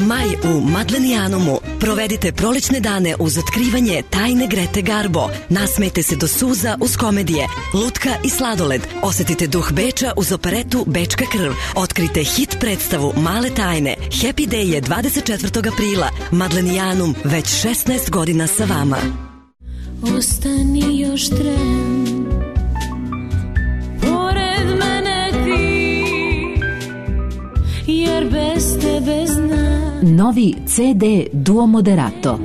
Speaker 7: Maj u Madlenijanumu. Provedite prolećne dane uz otkrivanje tajne Grete Garbo. Nasmejte se do suza uz komedije, lutka i sladoled. Osetite duh Beča uz operetu Bečka krv. Otkrite hit predstavu Male tajne. Happy Day je 24. aprila. Madlenijanum, već 16 godina sa vama.
Speaker 8: Ostani još tren, pored mene ti, jer bez tebe znam.
Speaker 9: Novi CD Duo Moderato.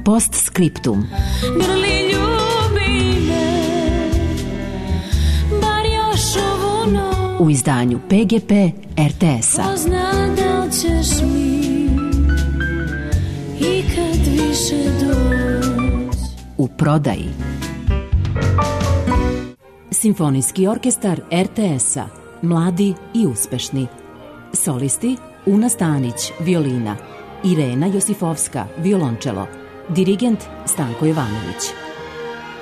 Speaker 9: Postscriptum.
Speaker 8: Grli, ljubi me, bar još ovu noć.
Speaker 9: U izdanju PGP RTS-a.
Speaker 8: Pozna da ćeš mi ikad više doći.
Speaker 9: U prodaji. Simfonijski orkestar RTS-a. Mladi i uspešni. Solisti Una Stanić, violina, Irena Josifovska, violončelo, dirigent Stanko Jovanović.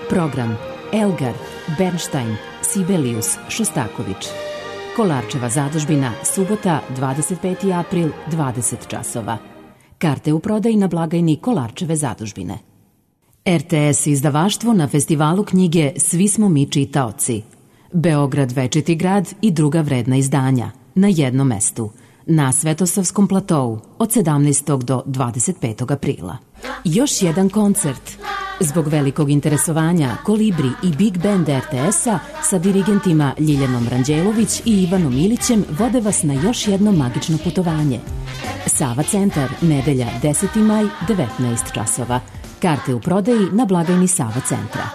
Speaker 9: Program Elgar, Bernstein, Sibelius, Šostaković. Kolarčeva zadužbina, subota, 25. april, 20 časova. Karte u prodaji na blagajni Kolarčeve zadužbine. RTS izdavaštvo na festivalu knjige Svi smo mi čitaoci. Beograd večiti grad i druga vredna izdanja na jednom mestu. Na Svetosavskom platou od 17. do 25. aprila. Još jedan koncert. Zbog velikog interesovanja Kolibri i Big Band RTS-a sa dirigentima Ljiljanom Ranđelović i Ivanom Ilićem vode vas na još jedno magično putovanje. Sava centar, nedelja 10. maj, 19 časova. Karte u prodaji na blagajni Sava centra.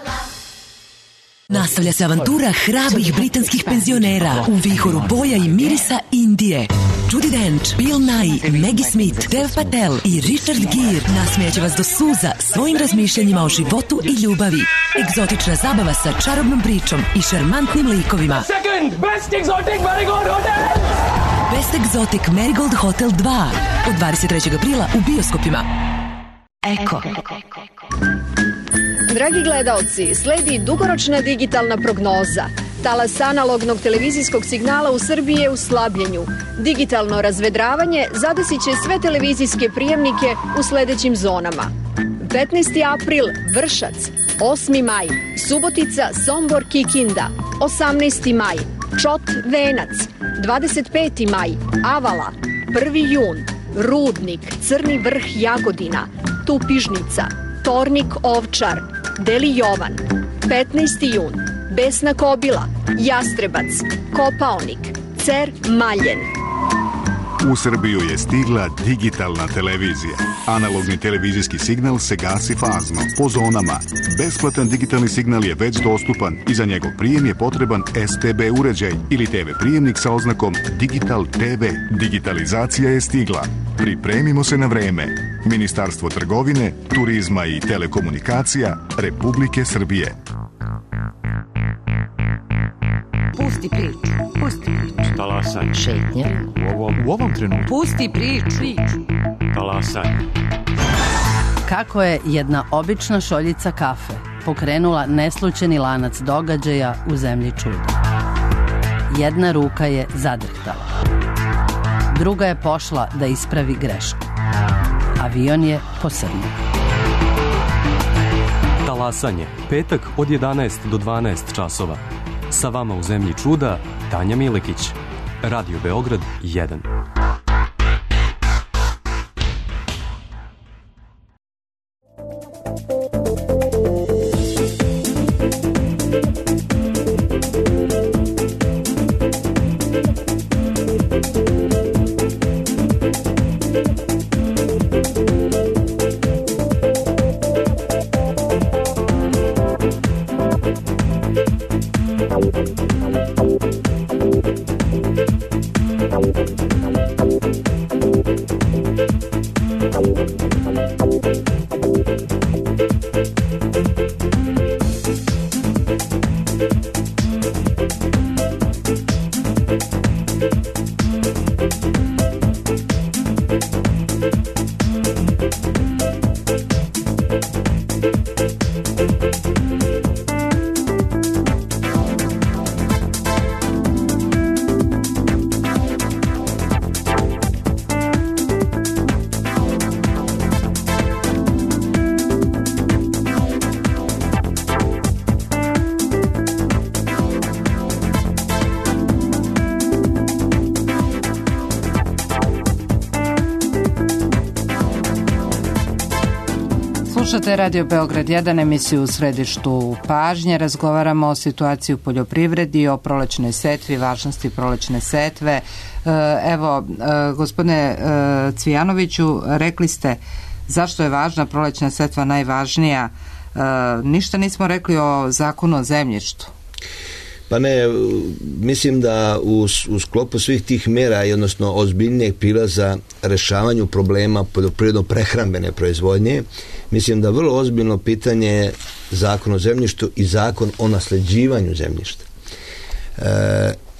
Speaker 7: Nastavlja se avantura hrabrih britanskih penzionera u vihoru boja i mirisa Indije. Judi Dench, Bill Nighy, Maggie Smith, Dev Patel i Richard Gere nasmijaće vas do suza svojim razmišljanjima o životu i ljubavi. Egzotična zabava sa čarobnom pričom i šarmantnim likovima.
Speaker 10: Second Best Exotic Marigold Hotel!
Speaker 7: Best Exotic Marigold Hotel 2 od 23. aprila u bioskopima. Eko.
Speaker 11: Dragi gledaoci, sledi dugoročna digitalna prognoza. Talas analognog televizijskog signala u Srbiji je u slabljenju. Digitalno razvedravanje zadesit će sve televizijske prijemnike u sledećim zonama. 15. april Vršac, 8. maj Subotica, Sombor, Kikinda, 18. maj Čot, Venac, 25. maj Avala, 1. jun Rudnik, Crni Vrh, Jagodina, Tupižnica, Tornik, Ovčar, Deli Jovan, 15. jun Besna Kobila, Jastrebac, Kopaonik, Cer, Maljen.
Speaker 12: U Srbiju je stigla digitalna televizija. Analogni televizijski signal se gasi fazno, po zonama. Besplatan digitalni signal je već dostupan i za njegov prijem je potreban STB uređaj ili TV prijemnik sa oznakom Digital TV. Digitalizacija je stigla. Pripremimo se na vreme. Ministarstvo trgovine, turizma i telekomunikacija Republike Srbije.
Speaker 13: Pusti priču, pusti priču.
Speaker 14: Talasanje.
Speaker 13: Šetnje.
Speaker 14: U ovom trenutku.
Speaker 13: Pusti priču.
Speaker 14: Talasanje.
Speaker 15: Kako je jedna obična šoljica kafe pokrenula neslućeni lanac događaja u zemlji čuda. Jedna ruka je zadrhtala. Druga je pošla da ispravi grešku. Avion je posrnuo.
Speaker 14: Talasanje. Petak od 11 do 12 časova. Sa vama u zemlji čuda, Tanja Milekić. Radio Beograd 1.
Speaker 1: Slušate Radio Beograd 1, emisiju u središtu pažnje. Razgovaramo o situaciji u poljoprivredi, o prolećnoj setvi, važnosti prolećne setve. Evo, gospodine Cvijanoviću, rekli ste zašto je važna prolećna setva najvažnija. Ništa nismo rekli o zakonu o zemljištu.
Speaker 4: Pa ne, mislim da u sklopu svih tih mera i odnosno ozbiljnijeg prilaza rešavanju problema poljoprivredno-prehrambene proizvodnje, mislim da vrlo ozbiljno pitanje je zakon o zemljištu i zakon o nasleđivanju zemljišta.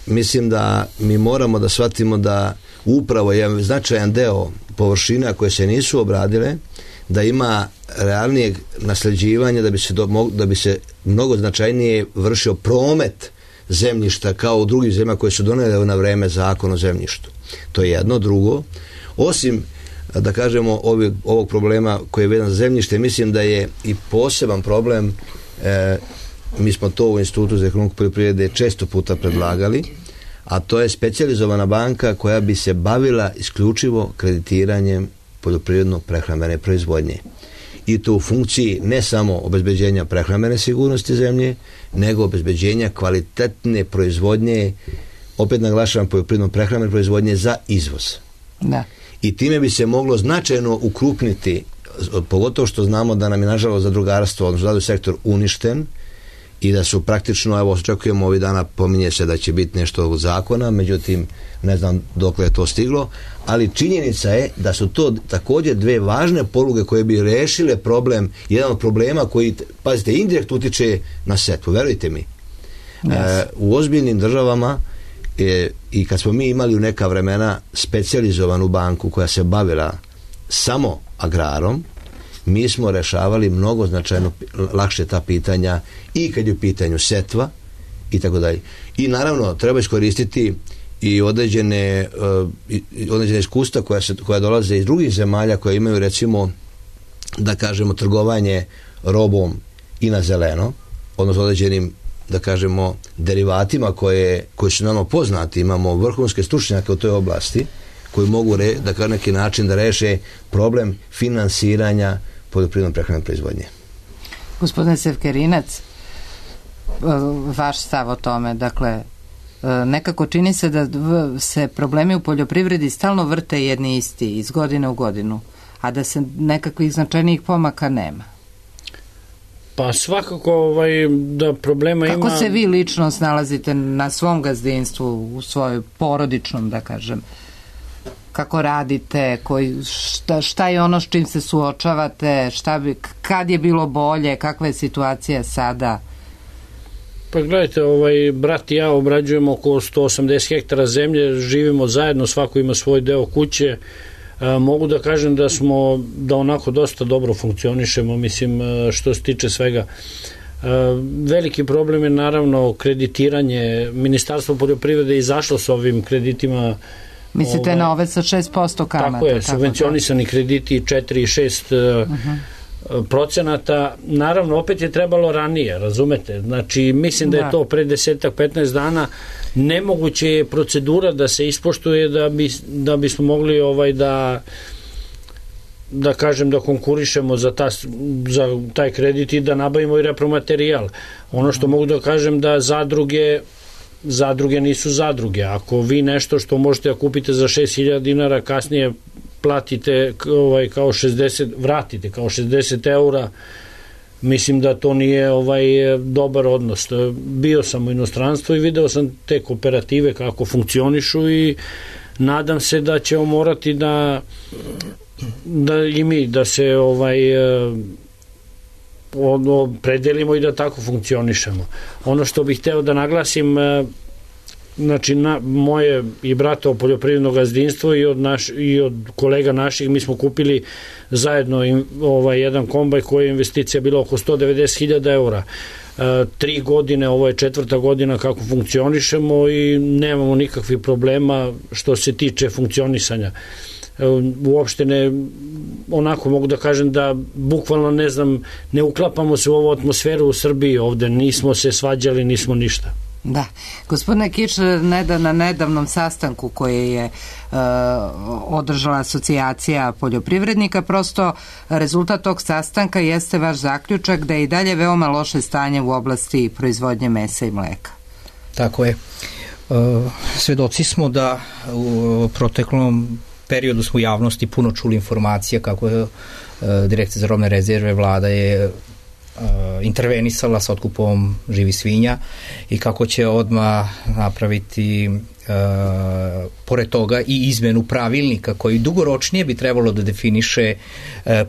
Speaker 4: Mislim da mi moramo da shvatimo da upravo je značajan deo površina koje se nisu obradile, da ima realnijeg nasleđivanja, da bi se mnogo značajnije vršio promet zemljišta kao u drugih zemljama koje su donele na vreme zakon o zemljištu. To je jedno. Drugo, osim da kažemo ovog problema koji je vezan za zemljište, mislim da je i poseban problem, mi smo to u Institutu za ekonomiju poljoprivrede često puta predlagali, a to je specijalizovana banka koja bi se bavila isključivo kreditiranjem poljoprivredno-prehrambene proizvodnje. I to u funkciji ne samo obezbeđenja prehrambene sigurnosti zemlje, nego obezbeđenja kvalitetne proizvodnje, opet naglašavam poljoprivredno-prehrambene proizvodnje za izvoz.
Speaker 1: Da.
Speaker 4: I time bi se moglo značajno ukrupniti, pogotovo što znamo da nam je nažalost zadrugarstvo, odnosno sektor uništen i da su praktično, evo očekujemo ovih dana, pominje se da će biti nešto ovog zakona, međutim ne znam dokle je to stiglo, ali činjenica je da su to također dve važne poluge koje bi rešile problem, jedan od problema koji, pazite, indirekt utiče na setvu, verujte mi. Yes. U ozbiljnim državama i kad smo mi imali u neka vremena specijalizovanu banku koja se bavila samo agrarom, mi smo rešavali mnogo značajno lakše ta pitanja i kad je u pitanju setva i tako dalje. I naravno treba iskoristiti i određene iskustva koja dolaze iz drugih zemalja koje imaju, recimo, da kažemo, trgovanje robom i na zeleno, odnosno određenim, da kažemo, derivatima koji su nama poznati. Imamo vrhunske stručnjake u toj oblasti koji mogu na neki način da reše problem finansiranja poljoprivredno prehrambene proizvodnje.
Speaker 1: Gospodine Sevkerinac, vaš stav o tome, dakle, nekako čini se da se problemi u poljoprivredi stalno vrte jedni isti iz godine u godinu, a da se nekakvih značajnijih pomaka nema.
Speaker 2: Pa svakako da problema ima...
Speaker 1: Kako se vi lično snalazite na svom gazdinstvu, u svojoj porodičnom, da kažem? Kako radite, šta je ono s čim se suočavate, kad je bilo bolje, kakva je situacija sada?
Speaker 2: Pa gledajte, brat i ja obrađujemo oko 180 hektara zemlje, živimo zajedno, svako ima svoj deo kuće. Mogu da kažem da onako dosta dobro funkcionišemo, mislim, što se tiče svega. Veliki problem je naravno kreditiranje. Ministarstvo poljoprivrede je izašlo s ovim kreditima.
Speaker 1: Mislite na ove sa 6% kamata?
Speaker 2: Tako je, subvencionisani krediti 4 i 6%. Naravno, opet je trebalo ranije, razumete? Znači, mislim da je to pre 10-15 dana. Nemoguće je procedura da se ispoštuje da bismo mogli da kažem da konkurišemo za taj kredit i da nabavimo i repromaterijal. Ono što mogu da kažem da zadruge nisu zadruge. Ako vi nešto što možete da kupite za 6.000 dinara kasnije platite kao 60, vratite kao 60 eura, mislim da to nije dobar odnos. Bio sam u inostranstvu i video sam te kooperative kako funkcionišu i nadam se da ćemo morati da i mi da se predelimo i da tako funkcionišemo. Ono što bih hteo da naglasim, znači moje i bratovo poljoprivredno gazdinstvo i od kolega naših, mi smo kupili zajedno jedan kombaj koji je investicija bila oko 190.000 eura. 3 godine, ovo je 4. godina kako funkcionišemo i nemamo nikakvih problema što se tiče funkcionisanja. Uopšte onako mogu da kažem da bukvalno ne uklapamo se u ovu atmosferu u Srbiji ovde, nismo se svađali, nismo ništa.
Speaker 1: Da. Gospodine Kič, na nedavnom sastanku koji je održala asocijacija poljoprivrednika, prosto rezultat tog sastanka jeste vaš zaključak da je i dalje veoma loše stanje u oblasti proizvodnje mesa i mleka.
Speaker 3: Tako je. Svedoci smo da u proteklom periodu smo u javnosti puno čuli informacija kako je Direkcija za robne rezerve, vlada je intervenisala sa otkupom živih svinja i kako će odmah napraviti pored toga i izmenu pravilnika koji dugoročnije bi trebalo da definiše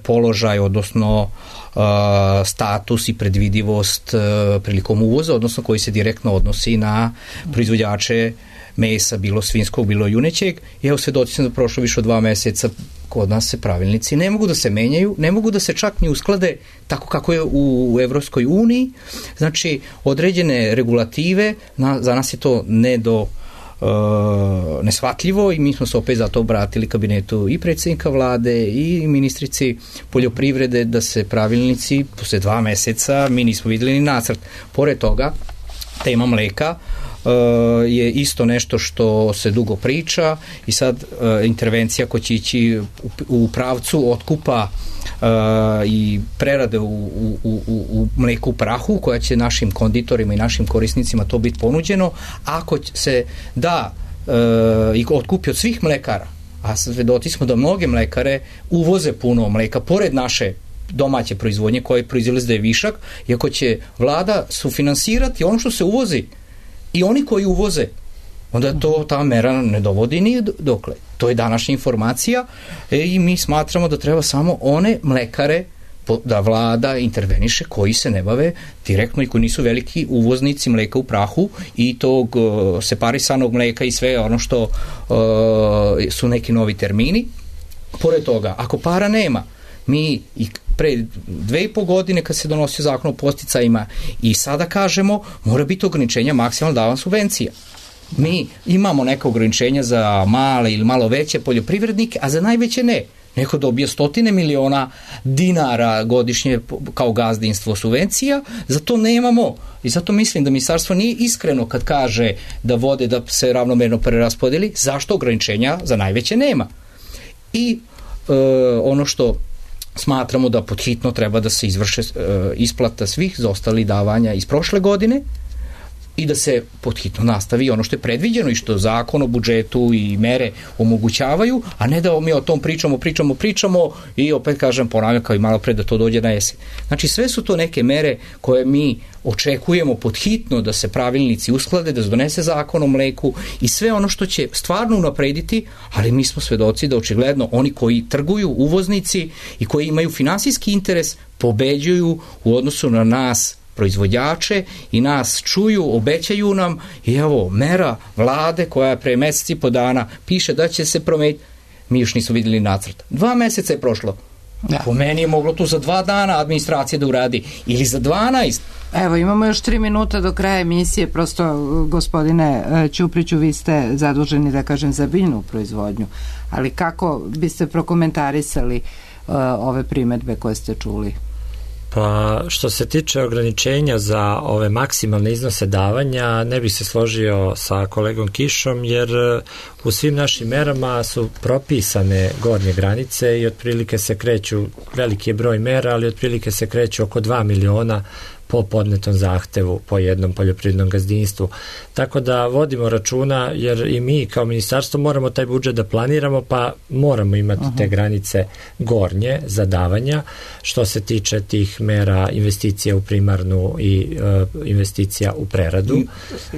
Speaker 3: položaj, odnosno status i predvidivost prilikom uvoza, odnosno koji se direktno odnosi na proizvođače mesa, bilo svinskog, bilo junećeg. I evo svedoci sam da prošlo više od 2 meseca kod nas se pravilnici ne mogu da se menjaju, ne mogu da se čak ni usklade tako kako je u Evropskoj uniji. Znači, određene regulative, za nas je to neshvatljivo i mi smo se opet zato obratili kabinetu i predsjednika vlade i ministrici poljoprivrede da se pravilnici posle 2 meseca, mi nismo videli ni nacrt. Pored toga, tema mleka je isto nešto što se dugo priča i sad intervencija koja će ići u pravcu otkupa i prerade u mleku u prahu koja će našim konditorima i našim korisnicima to biti ponuđeno. Ako se da i otkupi od svih mlekara, a svedoci smo da mnoge mlekare uvoze puno mleka pored naše domaće proizvodnje koje proizvode da je višak, iako će vlada sufinansirati ono što se uvozi i oni koji uvoze, onda ta mera ne dovodi ni dokle. To je današnja informacija i mi smatramo da treba samo one mlekare da vlada interveniše koji se ne bave direktno i koji nisu veliki uvoznici mleka u prahu i tog separisanog mleka i sve ono što su neki novi termini. Pored toga, ako para nema, mi pre 2,5 godine kad se donosio zakon o podsticajima i sada kažemo mora biti ograničenja maksimalno davanja subvencija. Mi imamo neka ograničenja za male ili malo veće poljoprivrednike, a za najveće ne. Neko dobije 100 miliona dinara godišnje kao gazdinstvo subvencija, zato nemamo. I zato mislim da ministarstvo nije iskreno kad kaže da vode da se ravnomerno preraspodeli, zašto ograničenja za najveće nema. I ono što smatramo da podhitno treba da se izvrše isplata svih zaostalih davanja iz prošle godine i da se podhitno nastavi ono što je predviđeno i što zakon o budžetu i mere omogućavaju, a ne da mi o tom pričamo i opet kažem, ponavljam kao i malo pre da to dođe na jesen. Znači sve su to neke mere koje mi očekujemo podhitno da se pravilnici usklade, da se donese zakon o mleku i sve ono što će stvarno unaprediti, ali mi smo svedoci da očigledno oni koji trguju, uvoznici i koji imaju finansijski interes pobeđuju u odnosu na nas proizvođače i nas čuju, obećaju nam i evo mera vlade koja pre meseci po dana piše da će se promeniti, mi još nismo vidjeli nacrt. 2 meseca je prošlo. Da. Po meni je moglo tu za 2 dana administracija da uradi ili za 12.
Speaker 1: Evo, imamo još 3 minuta do kraja emisije, prosto gospodine Ćupriću, vi ste zaduženi da kažem za biljnu proizvodnju, ali kako biste prokomentarisali ove primetbe koje ste čuli?
Speaker 5: Pa što se tiče ograničenja za ove maksimalne iznose davanja, ne bih se složio sa kolegom Kišom, jer u svim našim merama su propisane gornje granice i otprilike se kreću, veliki je broj mera, ali otprilike se kreću oko 2 miliona po podnetom zahtevu po jednom poljoprivrednom gazdinstvu. Tako da vodimo računa, jer i mi kao ministarstvo moramo taj budžet da planiramo, pa moramo imati te granice gornje za davanja što se tiče tih mera investicija u primarnu i investicija u preradu.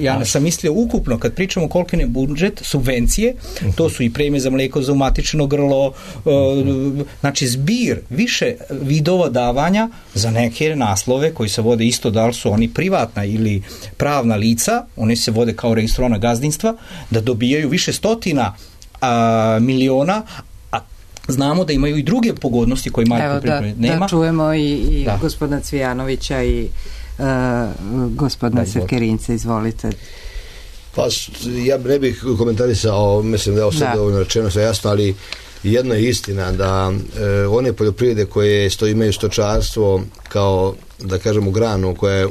Speaker 3: Ja sam mislio ukupno, kad pričamo koliki je budžet, subvencije, to su i premije za mlijeko, za umatičeno grlo, znači zbir više vidova davanja za neke naslove koji se vode isto da li su oni privatna ili pravna lica, oni se vode kao registrovana gazdinstva, da dobijaju više stotina miliona, a znamo da imaju i druge pogodnosti koje mali poljoprivrednik nema.
Speaker 1: Da čujemo i gospodina Cvijanovića i gospodina Sevkerinca, izvolite.
Speaker 4: Pa ja ne bih komentarisao, mislim da je ovo sad dovoljno rečeno, sve jasno, ali jedno je istina da one poljoprivrede koje imaju stočarstvo kao, da kažemo, granu koja je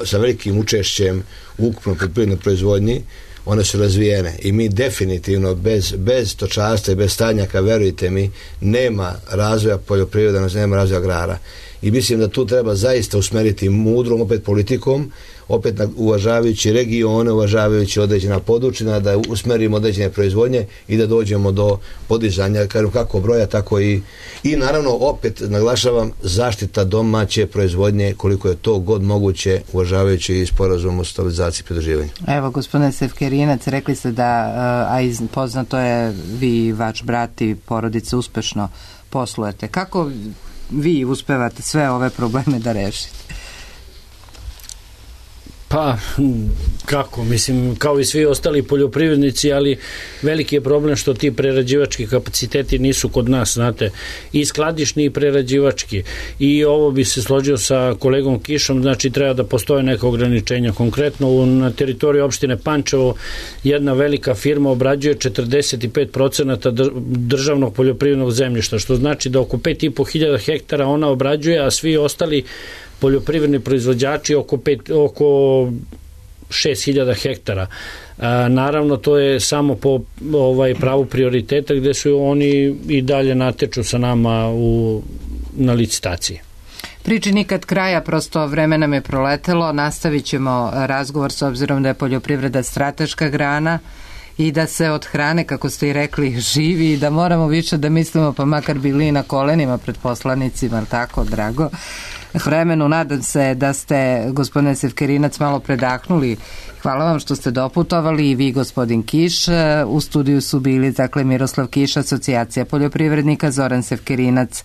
Speaker 4: sa velikim učešćem u ukupnoj poljoprivrednoj proizvodnji, one su razvijene i mi definitivno bez stočarstva i bez stadnjaka, verujte mi, nema razvoja poljoprivrede, nema razvoja agrara. I mislim da tu treba zaista usmeriti mudrom, opet politikom, opet uvažavajući regione, uvažavajući određena područja, da usmerimo određene proizvodnje i da dođemo do podizanja, kako broja, tako i naravno, opet naglašavam, zaštita domaće proizvodnje koliko je to god moguće, uvažavajući i sporazum o stabilizaciji i pridruživanju.
Speaker 1: Evo, gospodine Sevkerinac, rekli ste da, a poznato je, vi, vaš brat i porodica uspešno poslujete. Kako vi uspevate sve ove probleme da rešite?
Speaker 2: Pa, kako, mislim, kao i svi ostali poljoprivrednici, ali veliki je problem što ti prerađivački kapaciteti nisu kod nas, znate, i skladišni i prerađivački. I ovo bi se složio sa kolegom Kišom, znači treba da postoje neka ograničenja. Konkretno na teritoriji opštine Pančevo jedna velika firma obrađuje 45% državnog poljoprivrednog zemljišta, što znači da oko 5.500 hektara ona obrađuje, a svi ostali poljoprivredni proizvođači oko 6.000 hektara. Naravno, to je samo po pravu prioriteta gde su oni i dalje nateču sa nama na licitaciji.
Speaker 1: Priči nikad kraja, prosto vreme nam je proletelo, nastavit ćemo razgovor s obzirom da je poljoprivreda strateška grana i da se od hrane, kako ste i rekli, živi i da moramo više da mislimo, pa makar bili na kolenima pred poslanicima, tako, drago vremenu. Nadam se da ste, gospodine Sevkerinac, malo predahnuli. Hvala vam što ste doputovali, i vi, gospodin Kiš. U studiju su bili, dakle, Miroslav Kiš, Asocijacija poljoprivrednika, Zoran Sevkerinac,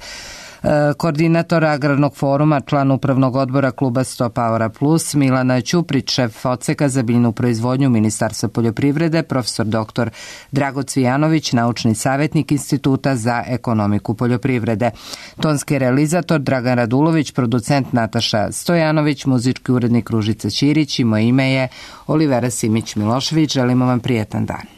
Speaker 1: Koordinator Agrarnog foruma, član upravnog odbora kluba 100 Powera Plus, Milana Ćuprić, šef odseka za biljnu proizvodnju Ministarstva poljoprivrede, profesor dr. Drago Cvijanović, naučni savjetnik Instituta za ekonomiku poljoprivrede. Tonski realizator Dragan Radulović, producent Nataša Stojanović, muzički urednik Ružica Ćirić i moje ime je Olivera Simić Milošević. Želimo vam prijetan dan.